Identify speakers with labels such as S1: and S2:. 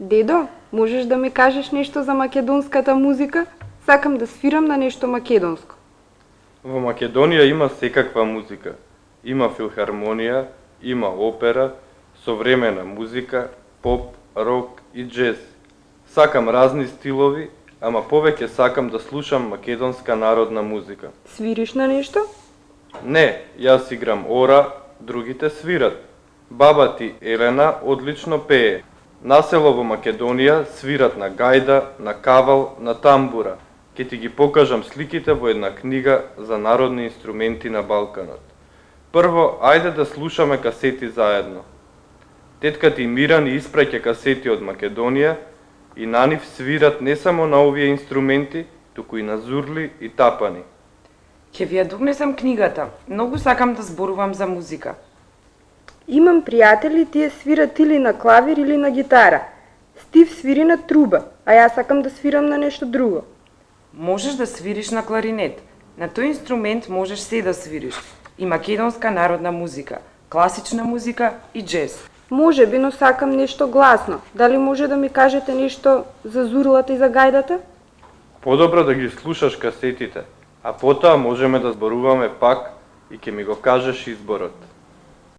S1: Дедо, можеш да ми кажеш нешто за македонската музика? Сакам да свирам на нешто македонско.
S2: Во Македонија има секаква музика. Има филхармонија, има опера, современа музика, поп, рок и џез. Сакам разни стилови, ама повеќе сакам да слушам македонска народна музика.
S1: Свириш на нешто?
S2: Не, јас играм ора, другите свират. Баба ти Елена одлично пее. Насело во Македонија свират на гајда, на кавал, на тамбура. Ке ти ги покажам сликите во една книга за народни инструменти на Балканот. Прво, ајде да слушаме касети заедно. Тетка ти Мира ни испраќа касети од Македонија и на нив свират не само на овие инструменти, туку и на зурли и тапани.
S3: Ќе ви ја донесам книгата. Многу сакам да зборувам за музика.
S1: Имам пријатели, тие свират или на клавир или на гитара. Стив свири на труба, а јас сакам да свирам на нешто друго.
S3: Можеш да свириш на кларинет. На тој инструмент можеш се да свириш. И македонска народна музика, класична музика и џез.
S1: Може би, но сакам нешто гласно. Дали може да ми кажете нешто за зурлата и за гајдата?
S2: Подобро да ги слушаш касетите, а потоа можеме да зборуваме пак и ќе ми го кажеш изборот.